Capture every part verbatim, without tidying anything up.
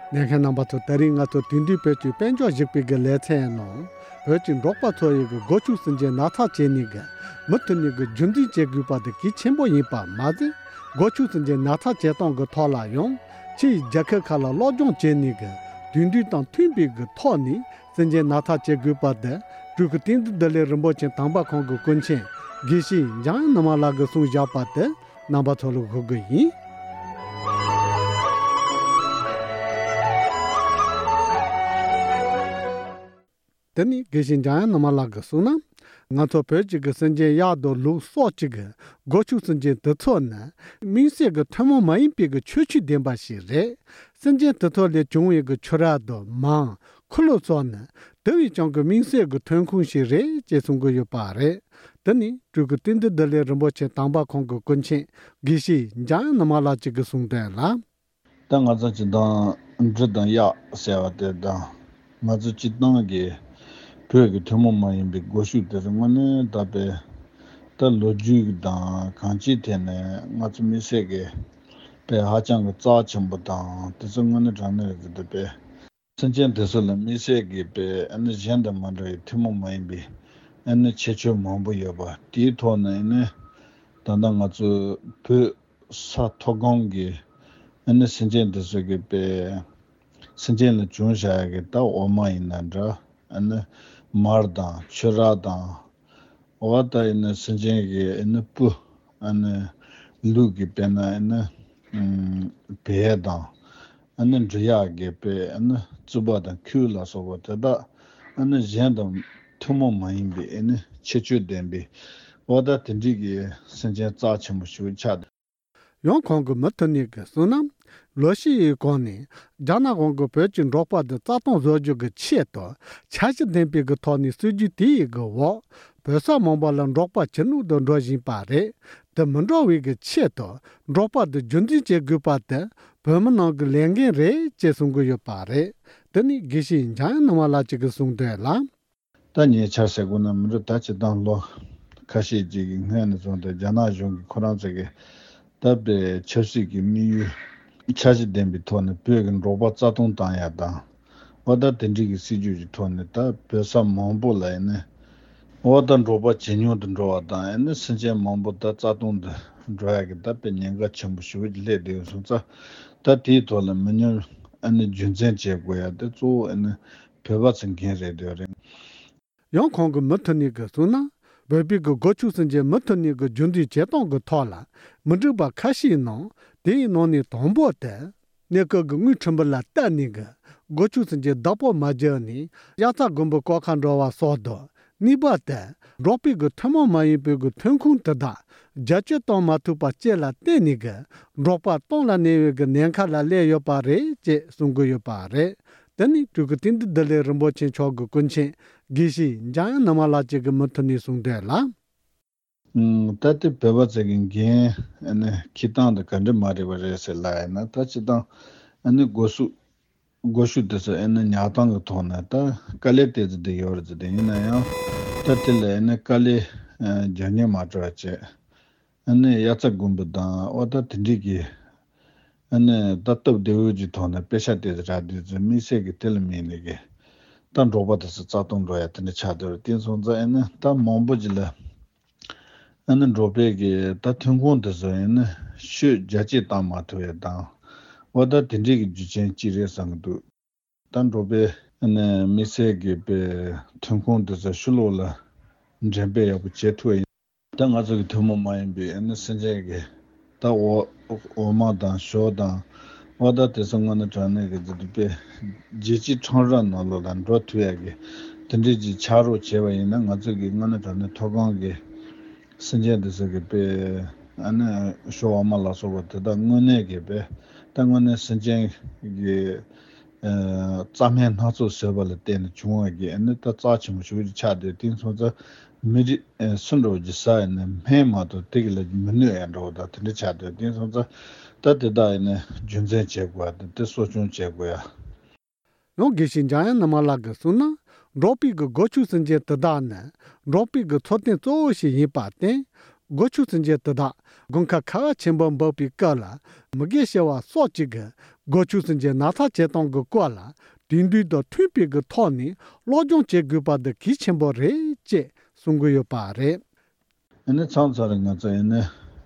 ལྷན་རྒྱས་རྣམ་པ་ཚོ། ད་རིང་ང་ཚོ་དེང་དུས་བོད་ཀྱི་དཔལ་འབྱོར་གཞིགས་པའི་གི་ལེ་ཚན་ནང་བོད་ཀྱི་འབྲོག་པ་ཚོ་ཡི་གི་སྒོ་ཕྱུགས་སུན་འབྱིན་ནག་ཚགས་བྱེད་ནི་གི་མུ་མཐུད་ནས་གི་རྒྱུན་འཛིན་བྱེད་དགོས་པ་དེ་གལ་ཆེན་པོ་ཡིན་པ་མ་ཟད། སྒོ་ཕྱུགས་སུན་འབྱིན་ནག་ཚགས་བྱེད་སྟངས་གི་ཐོག་ལ་ཡང་ཕྱི་ཡི་རྒྱལ་ཁབ་ཁག་ལ་སློབ་སྦྱོང་བྱེད་ནི་གི་དུས་འདུན་དང་མཐུན་པའི་གི་ཐོག་ནས་སུན་འབྱིན་ནག་ཚགས་བྱེད་དགོས་པ་དེ་སྤྲུལ་སྐུ་བསྟན་འཛིན་བདེ་ལེགས་རིན་པོ་ཆེ་དམ་པ་ཁོང་གི་སྐུ་མཆེད་དགེ་བཤེས་འཇམ་དབྱངས་ནུ་མ་ལགས་ཀྱིས་གསུངས་བཞག་པ་དེ། རྣམ་པ་ཚོ་ལ་ཞུ་གི་ཡིན། དེ་ནི་དགེ་བཤེས་འཇམ་དབྱངས་ནུ་མ་ལགས་ཀྱིས་གསུངས་ན། ང་ཚོ་བོད་ཀྱི་གི་སུན་འབྱིན་གཡག་དང་ལུག་སོགས་ཀྱི་གི་སྒོ་ཕྱུགས་སུན་འབྱིན་དེ་ཚོ་ནི་དམིགས་བསལ་གྱི་ཐུན་མོང་མ་ཡིན་པའི་གི་ཁྱད་ཆོས་ལྡན་པ་ཞིག་རེད། སུན་འབྱིན་དེ་ཚོ་ལས་བྱུང་བའི་གི་ཆུ་རགས་དང་མར། ཁུ་ལུ་སོགས་ནི་དེ་བས་ཀྱང་གི་དམིགས་བསལ་གྱི་ཐོན་ཁུངས་ཤིག་རེད་ཅེས་གསུང་གི་ཡོད་པ་རེད། དེ་ནི་སྤྲུལ་སྐུ་བསྟན་འཛིན་བདེ་ལེགས་རིན་པོ་ཆེ་དམ་པ་ཁོང་གི་སྐུ་མཆེད་དགེ་བཤེས་འཇམ་དབྱངས་ནུ་མ་ལགས་ཀྱིས་གསུངས་དོན་ལ། ད་ང་ཚོ་སྤྱིར་བཏང་འབྲི་དང་གཡག་ཟེར་བ་དེ་དང་། ང་ཚོ་སྤྱིར་བཏང་གི་བོད་ཀྱི་ཐུན་མོང་མ་ཡིན་པའི་སྒོ་ཕྱུགས་དེ་ཚོ་དངོས་གནས་ད་དཔེ་ད་ལོ་རྒྱུས་དང་གང་ཅིའི་ཐད་ནས་ང་ཚོ་མི་སེར་གྱི་དཔེ་ཧ་ཅང་གི་རྩ་ཆེན་པོ་དང་དེ་ཚོ་དངོས་གནས་དྲང་གནས་རེད་འདུག་དཔེ། སེམས་ཅན་དེ་ཚོ་ལ་དམིགས་བསལ་གྱི་དཔེ་ཨ་ནི་གཞན་དང་མ་འདྲ་བའི་ཐུན་མོང་མ་ཡིན་པའི་ཨ་ནི་ཁྱད་ཆོས་མང་པོ་ཡོད་པ་དེའི་ཐོག་ནས་ཨ་ནི་ད་ལྟ་ང་ཚོ་བོད་ས་མཐོ་སྒང་གི་ཨ་ནི་སེམས་ཅན་དེ་ཚོ་གི་དཔེ་སེམས་ཅན་ལ་བྱུང་བཞག་ཡ་གི་ད་འོ་མ་ཡིན་ན་འདྲ། ཨ་ནི་མར་དང་ཆུ་རགས་དང་། འོ་ད་ཨ་ནི་སེམས་ཅན་གི་ཨ་ནི་སྤུ། ཨ་ནི་ལུག་གི་དཔེར་ན་ཨ་ནི་ཨམ་བལ་དང་། ཨ་ནི་འབྲི་གཡག་གི་དཔེ་ཨ་ནི་རྩུབ་པ་དང་ཁུལ་ལ་སོགས་པ་དེ་དག་ཨ་ནི་གཞན་དང་ཐུན་མོང་མ་ཡིན་པའི་ཨ་ནི་ཁྱད་ཆོས་ལྡན་པའི་འོ་ད་དེ་འདྲའི་གི་སེམས་ཅན་རྩ་ཆེན་པོ་ཞིག་ཆགས་འདུག་ཡང་ཁོང་གིས་མུ་མཐུད་ནས་གསུངས་ན། ལོ་ཤས་ཡི་གོང་ནས་རྒྱ་ནག་གཞུང་གིས་བོད་ཀྱི་འབྲོག་པ་དེ་རྩ་སྟོངས་བཟོ་རྒྱུ་གི་ཆེད་དུ་འཆར་གཞི་ལྡན་པའི་གི་ཐོག་ནས་སྲིད་ཇུས་དེ་ཡི་གི་འོག་བོད་ས་མང་པོ་ལ་འབྲོག་པ་ཇེ་ཉུང་དུ་འགྲོ་བཞིན་པ་རེད། དེ་མི་འགྲོ་བའི་གི་ཆེད་དུ་འབྲོག་པ་དེ་རྒྱུན་འཛིན་བྱེད་དགོས་པ་དེ་བོད་མི་ནང་གི་ལས་འགན་རེད་ཅེས་གསུང་གི་ཡོད་པ་རེད། དེ་ནི་དགེ་བཤེས་འཇམ་དབྱངས་ནུ་མ་ལགས་ཀྱིས་གསུངས་དོན་ལ། ད་ངས་ཆ་བཞག་དགོས་ན་མི་འགྲོ། ད་སྤྱིར་བཏང་ལོ་ཁ་ཤས་ཅིག་གི་སྔོན་ནས་བཟུང་སྟེ་རྒྱ་ནག་གཞུང་གིས་ཁོ་རང་ཚོ་གི་ད་དཔེ་ཆབ་སྲིད་ཀྱི་དམིགས་ཡུལ་འཆར་གཞི་ལྡན་པའི་ཐོག་ནས་བོད་ཀྱི་འབྲོག་པ་རྩ་སྟོངས་བཏང་ཡ་དང་། འོ་ད་དེ་འདྲའི་གི་སྲིད་ཇུས་ཀྱི་ཐོག་ནས་ད་བོད་ས་མང་པོ་ལ་ཡིན་ན། འོ་ད་འབྲོག་པ་ཇེ་ཉུང་དུ་འགྲོ་བ་དང་ཡིན་ན་སེམས་ཅན་མང་པོ་ད་རྩ་སྟོངས་དུ་འགྲོ་ཡ་གི་ད་དཔེ་ཉེན་ཁ་ཆེན་པོ་ཞེ་པོ་ཅིག་སླེབས་བསྡད་ཡོད་སོང་ཙང་། ད་དེའི་ཐོག་ལ་མི་ཉུང་ཨ་ནི་རྒྱུན་འཛིན་བྱེད་དགོས་ཡ་དེ་གཙོ་བོ་ཨ་ནི་བོད་པ་ཚོའི་འགན་རེད་འདོད་རེད། ཡང་ཁོང་གིས་མུ་མཐུད་ནས་གསུངས་ན། བོད་པའི་གི་སྒོ་ཕྱུགས་སུན་འབྱིན་མུ་མཐུད་ནས་གི་རྒྱུན་འཛིན་བྱེད་སྟངས་ཀྱི་ཐོག་ལ་མི་འགྲིག་པ་ཁ་ཤས་ནང་དེའི་ནང་ནས་དང་པོ་དེ། གནས་སྐབས་ཀྱི་དངུལ་ཕྲན་བུ་ལ་བལྟས་ནས་གི་སྒོ་ཕྱུགས་སུན་འབྱིན་བདག་པོ་མ་བརྒྱབ་ནས་དབྱར་རྩྭ་དགུན་འབུ་བརྐོ་ཁ་འགྲོ་བ་སོགས་དང་། གཉིས་པ་དེ་འབྲོག་པའི་གི་ཐུན་མོང་མ་ཡིན་པའི་གི་ཐོན་ཁུངས་དེ་དག་རྒྱ་སྐྱེད་གཏོང་མ་ཐུབ་པ་བཅས་ལ་བརྟེན་ནས་གི་འབྲོག་པ་སྟོངས་ལ་གནས་པའི་གི་ཉེན་ཁ་ལ་སླེབས་ཡོད་པ་རེད་ཅེས་གསུང་གི་ཡོད་པ་རེད། དེ་ནི་སྤྲུལ་སྐུ་བསྟན་འཛིན་བདེ་ལེགས་རིན་པོ་ཆེ་མཆོག་གི་སྐུ་མཆེད་དགེ་བཤེས་འཇམ་དབྱངས་ནུ་མ་ལགས་ཀྱིས་གི་མུ་མཐུད་ནས་གསུངས་དོན་ལ། ཨུམ། ད་ལྟའི་བོད་པ་ཚོ་གི་འགན་ཨ་ནི་འཁྱེར་སྟངས་དེ་ག་འདྲ་མ་རེད་པ་རེད་ཟེར་ལབ་ཡིན་ན། ད་སྤྱིར་བཏང་ཨ་ནི་སྒོ་ཕྱུགས་སྒོ་ཕྱུགས་དེ་ཚོ་ཨ་ནི་ཉར་སྟངས་ཀྱི་ཐོག་ནས་ད་དཀའ་ལས་ཏོག་ཙམ་དེ་ཡོད་རེད་ཟེར། དེ་ཡིན་ན་ཡང་ད་དེ་ལ་ཨ་ནི་དཀའ་ལས་ཨ་རྒྱག་སྙིང་མ་བྲོ་བ་བྱས། ཨ་ནི་དབྱར་རྩྭ་དགུན་འབུ་དང་འོ་ད་དེ་འདྲའི་གི་ཨ་ནི་ད་སྟབས་བདེ་བོ་གི་ཐོག་ནས་དཔེ་ཆ་དེ་རག་དུས་ཚོད་དམིགས་བསལ་གྱི་དེ་ལ་དམིགས་ནས་གི་ད་འབྲོག་པ་དེ་ཚོ་རྩ་སྟོངས་འགྲོ་ཡ་དེ་འདྲ་ཆགས་བསྡད་རེད། དེ་སོང་ཙང་ཨ་ནི་ད་མང་པོ་ཅིག་ལ་ཨ་ནི་འབྲོག་པའི་གི་ད་ཐོན་ཁུངས་དེ་ཚོ་ཨ་ནི་ཤུགས་རྒྱ་སྐྱེད་བཏང་མ་ཐུབ་ཡ་དང་འོ་ད་དེ་འདྲའི་གི་རྒྱུ་རྐྱེན་གཅིག་རེད་བསམ་གི་འདུག་ད་འབྲོག་པའི་ཨ་ནི་དམིགས་བསལ་གྱི་དཔེ་ཐོན་ཁུངས་དེ་ཚོ་ཕྱི་ལོགས་ལ་འགྲེམས་སྤེལ་ཡག་པོ་བྱེད་ཐུབ་པ་ཡིན། ད་ང་ཚོ་གི་ཐུན་མོང་མ་ཡིན་པའི་ཨ་ནི་སེམས་ཅན་གྱི་ད་འོ་འོ་མ་དང་ཞོ་དང་འོ་ད་དེ་ཚོ་དངོས་གནས་དྲང་གནས་ཀྱི་དེ་དཔེ་རྒྱལ་སྤྱིའི་ཁྲོམ་ར་ནང་ལོགས་ལ་འགྲོ་ཐུབ་ཡག་གི་དེ་འདྲའི་ཅིག་ཆགས་རོགས་བྱས་པ་ཡིན་ན་ང་ཚོ་གི་དངོས་གནས་དྲང་གནས་མཐོ་སྒང་གི་སེམས་ཅན་དེ་ཚོ་གི་དཔེ་ཨ་ནི་ཞོ་འོ་མ་ལ་སོགས་པ་དེ་དག་དངོས་གནས་ཀྱི་དཔེ་ད་དངོས་གནས་སེམས་ཅན་གྱི་ཨ་རྩྭ་སྨན་སྣ་ཚོགས་བཟོས་པ་ལ་བརྟེན་ནས་བྱུང་བ་གི་ཨ་ནི་ད་རྩ་ཆེན་པོ་ཞིག་ཆགས་བསྡད། དེ་སོང་ཙང་མི་རིགས་ཨ་སུ་འདྲ་བོ་ཅིག་ཟ་ཡིན་ན་སྨན་མ་གཏོགས་དེ་གི་ལ་མི་གནོད་ཡ་འདྲ་བོ་དང་དེ་འདྲ་ཆགས་བསྡད། དེ་སོང་ཙང་ད་དེ་དག་ཨ་ནི་རྒྱུན་འཛིན་བྱེད་དགོས་ཡ་དང་དེ་གསོ་སྐྱོང་བྱེད་དགོས་ཡ། ཡང་དགེ་བཤེས་འཇམ་དབྱངས་ནུ་མ་ལགས་ཀྱིས་གསུངས་ན། འབྲོག་པའི་གི་སྒོ་ཕྱུགས་སུན་འབྱིན་དེ་དག་ནི་འབྲོག་པའི་གི་འཚོ་རྟེན་གཙོ་བོ་ཞིག་ཡིན་པར་བརྟེན། སྒོ་ཕྱུགས་སེམས་ཅན་དེ་དག་དགུན་ཁ་ཁ་བ་ཆེན་པོ་འབབ་པའི་སྐབས་ལ་མི་རྒས་ཤི་བ་སོགས་ཀྱི་གི་སྒོ་ཕྱུགས་སེམས་ཅན་ནག་ཚ་བྱེད་སྟངས་ཀྱི་སྐོར་ལ་དུས་འདུན་དང་མཐུན་པའི་གི་ཐོག་ནས་སློབ་སྦྱོང་བྱེད་དགོས་པ་འདི་གལ་ཆེན་པོ་རེད་ཅེས་གསུང་གི་ཡོད་པ་རེད། ཨ་ནི་མཚམས་མཚམས་རེ་ང་ཚོ་ཨ་ནི་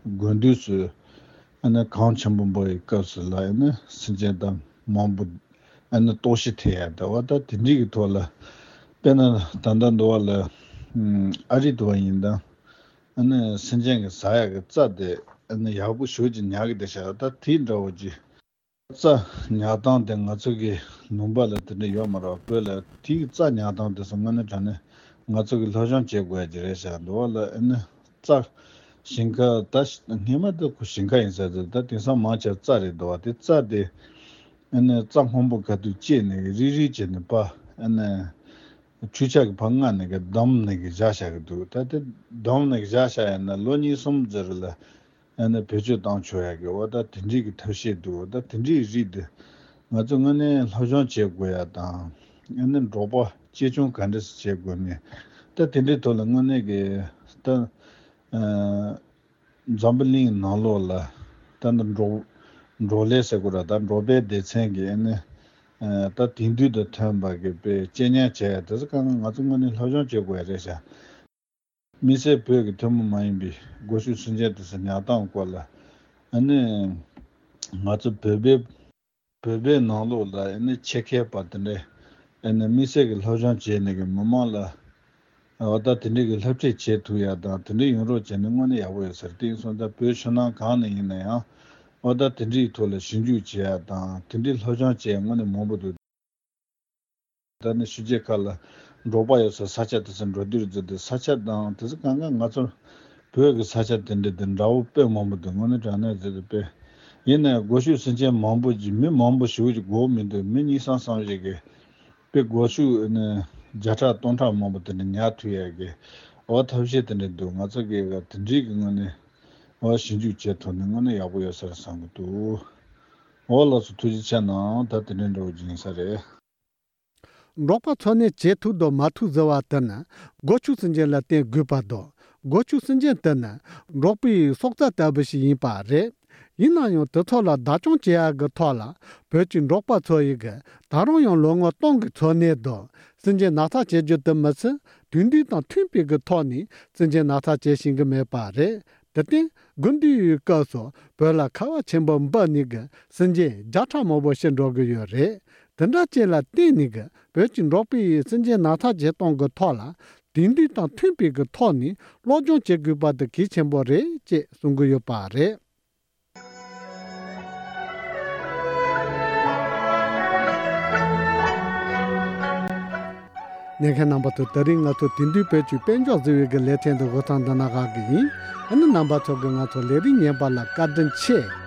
དགུན་དུས་སུ་ཨ་ནི་གངས་ཆེན་པོ་འབབ་པའི་སྐབས་སུ་ལ་ཨ་ནི་སེམས་ཅན་དང་མང་པོ་ཨ་ནི་ལྟོགས་ཤི་ཐེབས་ཡ་ད་བ་ད་དེ་འདྲའི་གི་ཐོག་ལ་དཔེར་ན་ད་ལྟ་འདི་བ་ལ་ཨ་རི་དུ་བ་ཡིན་ད་ཨ་ནི་སེམས་ཅན་གི་ཟ་ཡ་གི་རྩྭ་དེ་ཨ་ནི་ཡག་པོ་ཞེ་ཅིག་ཉར་གི་བསྡད་ཤག་ད་དེ་འདྲ་བོ་ཅིག་རྩྭ་ཉར་སྟངས་དེ་ང་ཚོ་གི་ལུང་པ་ལ་དེ་འདྲ་ཡོད་མ་རེད་བ། བོད་ལ་དེའི་རྩྭ་ཉར་སྟངས་དེ་ཚོ་དངོས་གནས་དྲང་གནས་ང་ཚོ་གི་སློབ་སྦྱོང་བྱེད་དགོས་ཡ་ཅིག་རེད་ཤག་འདི་བ་ལ་ཨ་ནི་རྩྭ་ཞིང་ཁ་ད་སྔས་མ་དེ་ཁོ་ཞིང་ཁ་ཡིན་ས་དེ་ད་དེང་སང་མང་ཆེ་རྩྭ་རེད་འདུག་བ། དེ་རྩྭ་དེ་ཨ་ནི་རྩྭ་སྔོན་པོ་ག་དུས་བཅད་ནས་རིལ་རིལ་བྱས་ནས་པ་ཨ་ནི་འཕྲུལ་ཆས་ཀྱི་ཕར་མངགས་ནས་གི་བསྡམས་ནས་གི་བཞག་བཞག་གི་འདུག་ད་དེ་བསྡམས་ནས་གི་བཞག་བཞག་ཡིན་ན་ལོ་གཉིས་གསུམ་ཙམ་རིང་ལ་ཨ་ནི་བེད་སྤྱོད་བཏང་ཆོག་ཡ་གི་འོ་ད་དེ་འདྲའི་གི་ཐབས་ཤེས་འདུག་ད་དེ་འདྲའི་རིགས་དེ་ང་ཚོ་དངོས་གནས་སློབ་སྦྱོང་བྱེད་དགོས་ཡ་དང་ཨ་ནི་འབྲོག་པ་གཅེས་སྐྱོང་ག་འདྲ་སེ་བྱེད་དགོས་ནས་ད་དེ་འདྲའི་ཐོག་ལ་དངོས་གནས་གི་ད་ཨ་འཛམ་བུ་གླིང་ནང་ལོགས་ལ་ད་ནི་འབྲོག་འབྲོག་ལས་ཟེར་དགོས་ར་ད་འབྲོག་པའི་སྡེ་ཚན་གི་ཨ་ནི་ཨ་ད་དེང་དུས་དང་མཐུན་པ་གི་དཔེ་གཅེས་ཉར་བྱས་ཡ་དེ་ཚོ་གང་ག་ང་ཚོ་དངོས་གནས་སློབ་སྦྱོང་བྱེད་དགོས་ཡ་རེད་ཤག་དམིགས་བསལ་བོད་ཀྱི་ཐུན་མོང་མ་ཡིན་པའི་སྒོ་ཕྱུགས་སེམས་ཅན་དེ་ཚོ་ཉར་སྟངས་སྐོར་ལ་ཨ་ནི་ང་ཚོ་བོད་པའི་བོད་པའི་ནང་ལོགས་ལ་ཨ་ནི་ཆེད་མཁས་པ་དེ་འདྲས་ཨ་ནི་དམིགས་བསལ་གྱི་སློབ་སྦྱོང་བྱས་ནས་གི་མི་མང་ལ་འོ་ད་དེ་འདྲས་ཀྱི་སློབ་ཁྲིད་བྱེད་ཐུབ་ཡ་དང་དེ་འདྲས་ཡོང་རོགས་བྱས་ན་དངོས་གནས་ཡག་པོ་ཡོད་ཟེར། དེ་ཡིན་སོང་ཙང་བོད་ཕྱི་ནང་གང་ནས་ཡིན་ན་ཡང་འོ་ད་དེ་འདྲས་ཐོག་ལ་ཞིབ་འཇུག་བྱེད་ཡ་དང་དེ་འདྲས་སློབ་སྦྱོང་བྱེད་ཡ་དངོས་གནས་མང་པོ་འདུག་ད་ནི་ཕྱི་རྒྱལ་ཁག་ལ་འབྲོག་པ་ཡོད་ས་ས་ཆ་དེ་ཚོ་འགྲོ་དུས་ཙམ་དུ་ས་ཆ་དང་དེ་ཚོ་གང་ག་ང་ཚོ་བོད་ཀྱི་ས་ཆ་དེ་འདྲ་དེ་འདྲ་བོ་དཔེ་མང་པོ་འདུག་དངོས་གནས་དྲང་གནས་ཟེར་དུས་དཔེ་ཡིན་ནའི་སྒོ་ཕྱུགས་སེམས་ཅན་མང་པོ་ཅིག་མི་མང་པོ་ཞེ་པོ་ཅིག་དགོས་མི་འདུག་མི་གཉིས་གསུམ་ཙམ་ཞིག་གིས་དཔེ་སྒོ་ཕྱུགས་ནི་བརྒྱ་ཕྲག་སྟོང་ཕྲག་མང་པོ་དེ་འདྲ་ཉར་ཐུབ་ཡ་གི་འོ་ཐབས་ཤེས་དེ་འདྲ་འདུག་ང་ཚོ་གི་དེ་འདྲའི་གི་དངོས་གནས་འོ་ཞིབ་འཇུག་བྱེད་ཐུབ་ནས་དངོས་གནས་ཡག་པོ་ཡོད་ས་རེད་བསམ་གི་འདུག་འོ་ལགས་སོ་ཐུགས་རྗེ་ཆེ་གནང་། ད་དེ་འདྲའི་འདྲ་བོ་ཅིག་ཡིན་ས་རེད། འབྲོག་པ་འཚོ་གནས་བྱེད་ཐུབ་དང་མ་ཐུབ་ཟེར་བ་དེ་ནི་སྒོ་ཕྱུགས་སེམས་ཅན་ལ་བརྟེན་དགོས་པ་དང་། སྒོ་ཕྱུགས་སེམས་ཅན་དེ་ནི་འབྲོག་པའི་སྲོག་རྩ་ལྟ་བུ་ཞིག་ཡིན་པ་རེད། ཡིན་ན་ཡང་དེ་ཚོ་ལ་བདག་སྐྱོང་བྱེད་ཡག་གི་ཐོག་ལ་བོད་ཀྱི་འབྲོག་པ་ཚོ་ཡི་གི་ད་རུང་ཡང་ལོ་ངོ་སྟོང་གི་འཚོ་གནས་དང་སེམས་ཅན་ནག་ཚ་བྱེད་རྒྱུ་དེ་མི་ཚད་དུས་འདུན་དང་མཐུན་པའི་གི་ཐོག་ནས་སེམས་ཅན་ནག་ཚ་བྱེད་ཤེས་ཀྱི་མེད་པ་རེད། དེར་བརྟེན་དགུན་དུས་ཡི་སྐབས་སུ་བོད་ལ་ཁ་བ་ཆེན་པོ་འབབ་ནས་གི་སེམས་ཅན་བརྒྱ་ཕྲག་མང་པོ་ཤི་འགྲོ་གི་ཡོད་རེད། དེ་འདྲ་ཅིག་ལ་བརྟེན་ནས་གི་བོད་ཀྱི་འབྲོག་པའི་སེམས་ཅན་ནག་ཚ་བྱེད་སྟངས་ཀྱི་ཐོག་ལ་དེང་དུས་དང་མཐུན་པའི་གི་ཐོག་ནས་སློབ་སྦྱོང་བྱེད་དགོས་པ་དེ་གལ་ཆེན་པོ་རེད་ཅེས་གསུང་གི་ཡོད་པ་རེད། ཉན་མཁན་རྣམ་པ་ཚོ་དེ་རིང་ང་ཚོ་དེང་དུས་བོད་ཀྱི་དཔལ་འབྱོར་ཟེར་བའི་གི་ལེ་ཚན་འདི་འགོ་ཐང་འདི་ན་བཞག་གི་ཡིན། ཨ་ནི་རྣམ་པ་ཚོ་གི་ང་ཚོ་ལས་རིམ་ཉན་པ་ལ་བཀའ་དྲིན་ཆེ།